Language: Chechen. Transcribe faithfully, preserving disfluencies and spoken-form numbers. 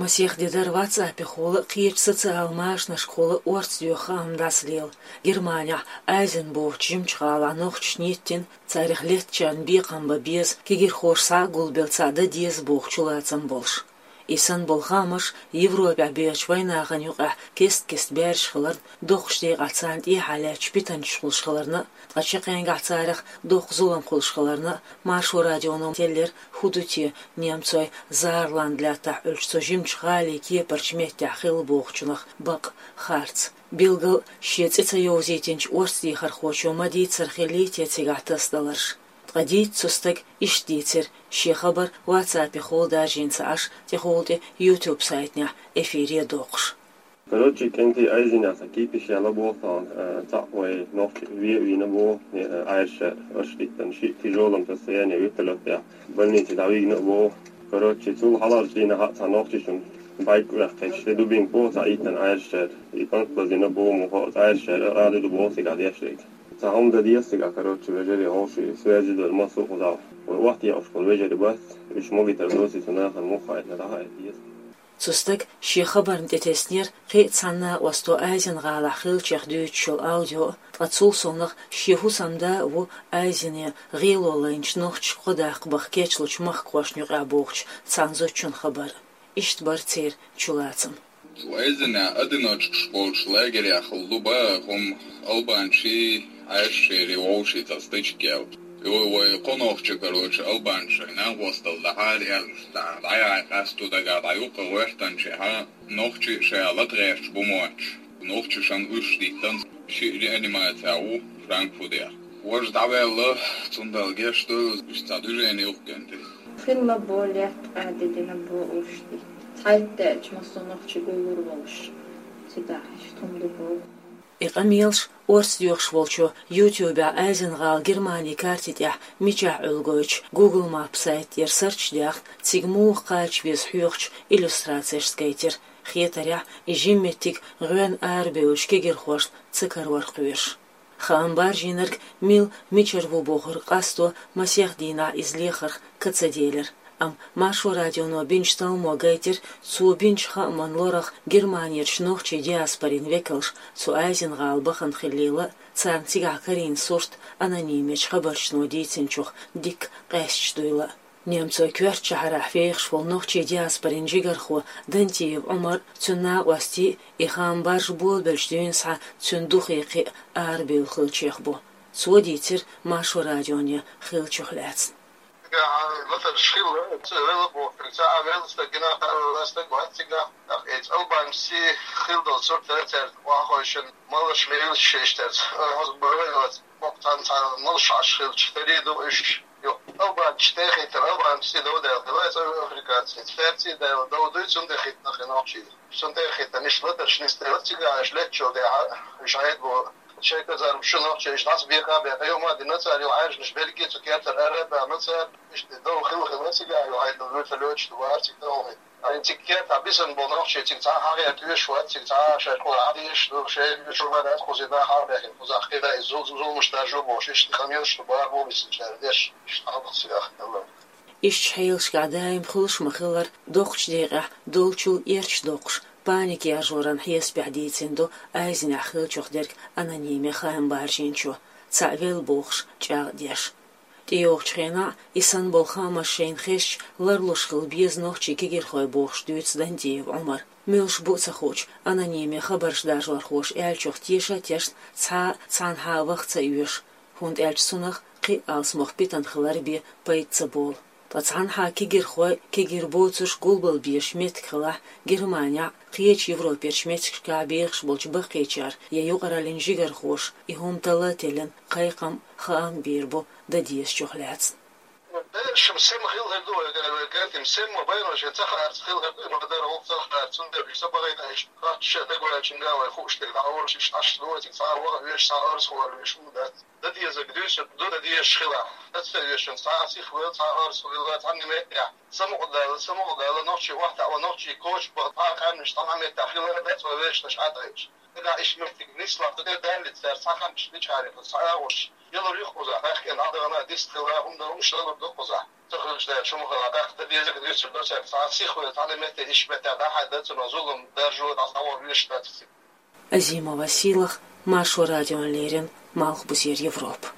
Масех де дара WhatsApp-ехула а, кхечу социал машанашкахула а орца доьху хаам дӀасалела. Германехь Айзен бохучу жимачу гӀалахь нохчашна йиттина, царах леттачарна бекхам бан беза, кегийрхоша схьа а гулбелла цхьаъ дан деза бохучу лацам болуш. И санна болу хаамаш Европехь бехачу вайнахана юкъахь кест-кеста баьржаш хиларна, доккхачу декъахь царна тӀехьа лаьттачу питанчаш хуьлуш хиларна а, ткъа чаккхенгахь царах доккха зулам хуьлуш хиларна а, Маршо радионо теллира хӀун ду те немцойн Саарленд лаьттахь Ӏуьллучу цу жимачу гӀалин кепарчу меттехь хилла бохучунах бакъ, харц. Билггал а шен цӀе ца йовзийтинчу орца дехархочо ма дийццара хиллий те цигахь тасадаларш. Ткъа дийца цу стага иштта дийцира, шен хабар WhatsApp-ехула даржийна ца Ӏаш, тӀехула тӀе YouTube сайтехь эфире доккхуш. Короче, кӀентий, Айзенехь цхьа кипиш яьлла боху тхуна, э, цхьаъ вай нохчи ве а вийна боху, э, Ӏаьржачара, аша диттина шиъ тяжёлом состоянии вертолётехь больнице дӀавигна а боху. Короче, цул хьалхарчу дийнахь а цхьа нохчичунна байк ваьккхича, тӀе дубинка боху цхьаъ йиттина Ӏаьржачара, и кӀант лазийна боху муха а, Ӏаьржачара арадуьду боху цигахь дешнарг. Цхьа хӀума дан деза цигахь, короче, вежарий, хӀокху ши связи дара, массо а кхузахь вай охьатаьӀуш болу вежарий бац, уьш могуьйтур доций цу нахана, муха хаийтина дӀахаийта деза. Цу стага шен хабарна тӀетеснера кхин а цхьана накъосто Айзен-гӀалахь хиллачех дуьйцуш йолу аудио а, ткъа цул совнаха шен хӀусамда а ву Айзене гӀело лайначу нохчашка кхо даккха баха кечлучу махкахошна юкъахь бохучу цхьана зудчун хабар а. Иштта бара церан чулацам. Цу Айзенехь одиночкаш болчу лагерехь хилла ду бан хӀума, албанчий, Ӏаьржачерий вовший цхьа стычка яьлла. Йо, вай кхо нохчи, короче, албанчийн накъосталла дӀахьара аьлла, дӀа-, дӀаяхьа къасто дагахь дӀаюккъе гӀоьртинчехьа, нохчи шаьш лата гӀерташ бу моьттуш. Нохчашна уьш диттина, шиъ реанимацехь ву Франкфуртехь. Важа дӀаваьлла, цундела гечдойла, уьш цхьа движени юккъе тӀе. Хилла бо, лаьтта къаьддина бо уьш тӀе. Цхьайтта даьлча массо а нохчий гуллур волуш. Цигахь иштта хӀума ду боху. И къамелаш орца доьхуш волчо YouTube-ехь Айзен-гӀала Германин карти тӀехь мичахь Ӏуьллу гойтучу Google Maps сайта тӀера search даьхна, цига муха кхача веза хьоьхучу иллюстрацешца гайтира. Хетарехь, и жима меттиг гӀоьнна арабевллачу кегийрхошна ца карор кхоьруш. Хаам баржийнарг мила, мичара ву бохург къасто масех дийнахь иза лехарх ка ца делира. Амма Маршо радионо бинчу талламо гайтира, цо бинчу хааман лорах Германерчу нохчийн диаспорин векалш цу Айзен-гӀала бахана хиллийла а, царна цигахь карийна сурт анонимечу хабарчано дийцинчух дикка къаьсташ дуйла а. Немцойн коьртачу шахьарахь фехаш волу нохчийн диаспорин жигархо Дантиев Ӏумар а, цуьнан накъостий а и хаам баржа болабелча дуьйна схьа цуьнан духе кхиъна арабевлла хиллачех бу. Цо дийцира Маршо радионе хиллачух лаьцна. Цигахь латарш хилла, ца велла бохург, цхьа а велла стаг гина, стаг вац цигахь. ТӀаккха иза албанций хилла долу сурт дара цаьрца охьахевшина, малаш мелаш шиш терца. Хьоза бара вай вац, боккха цхьана цхьа малаш Ӏаш хилча, тари ду уьш. Йо, албанций тӀе хиттина, албанций дов даьлла хилла, цӀа африканций. Цаьрций даьлла дов дуй, цунна тӀе хиттина хи нохчий. Цунна тӀе а хиттина, иштта латарш нисделла, цигахь уьш леччул дехьа, уьш Ӏедбо. Шайн казармаш чу нохчий иштта дӀасабеха а беха, юха ма дина цара, юха Ӏаьржанаш берриге цу кертара ара а баьхна цара, иштта дов хилла-хилла цигахь, юха Ӏедал вуьрталойташ ду бара цига дов хи. Айн цига кертахь бисина болу нохчий цига цхьа а хьагӀерта оьшуш вац, цига цхьа а шаьш кхузахь хьадийшаш ду, шайн чу ма дац кхузахь хьагӀбехкина, кхузахь кхин даиз зул-, зулмаш даржо бохуш, иштта къамелаш ду бара бу бисина цара деш, иштта хьалха цигахь хилла. Иштта хьелашкахь даим хуьлуш ма-хиллара, доккхачу декъехь долчул эрча доккхуш, паника яржоран хьесапехь дийцина ду Айзенехь хиллачух дерг анониме хаам баржийначо, цхьаъ велла бохуш, чӀагӀдеш. ТӀейогӀучу хенахь а и санна болу хаамаш шайна хезча, ларлуш хила беза нохчийн кегийрхой бохуш дуьйцу Дантиев Ӏумара. Муьлш бу а ца хуучу, анониме хабарш даржорхоша аьллачух теша а тешна, цхьа а цхьанхьа ваха ца оьшу, хӀунда аьлча цунах кхин а алсамох питана хилар бен пайда ца болу. Ткъа цхьанхьа кегийрхой, кегийра боцурш гулбала безаш меттиг хилахь, Германехь а, кхечу Европерчу меттигашкахь а бехаш болчу баккхийчара я юкъараллин жигархоша и хӀума талла а теллина, кхайкхам а, хаам а бийр бу дан дезачух лаьцна. Берашна сема хилла хир ду вай, вай гантим, сема байнаршна ца хаарца хилла хир ду, и ма-дарра гӀуллакх ца хаарца, цундела уьш ца бахийтина, иштта кхаччалц дагаваьллачуьнга вай хууш дерг дӀа а волуш, иштта Ӏаш ду вай цига, цхьа а ваха а веш, цхьа а орца хӀоттавеш хӀума дац. Дан дезарг дуьйцург ду, дан дезаш хилахь. Дан сих ваьлла, цхьа а орца хилла, цхьанна меттехь самукъадала, самукъадала, нохчий охьатаӀа, нохчий коча баха, цхьа а къаьмнаш цхьана меттехь хилла, дац вай вешан тӀаьхьа тӀаьхьаш. Нагахь иштта меттиг нислахь, ду тӀе даллица цара цхьа ханча дича хьарийла, цхьа а гӀуш. Ялар ю кхузахь, тӀаккха дӀадахана дистхила хӀума дар, уьш далур ду кхузахь. Ца хилча, шу ма хала, тӀаккха дан дезарг дуьйцур ду цаьрга. Цхьа сиха вара, цхьана метте, ишта метте дӀахьаьдда цунах зулам, даржо, дӀасагӀор веш дац цига. Азимова Сийлаха, Маршо радиона леррина, Малхбузера Европа.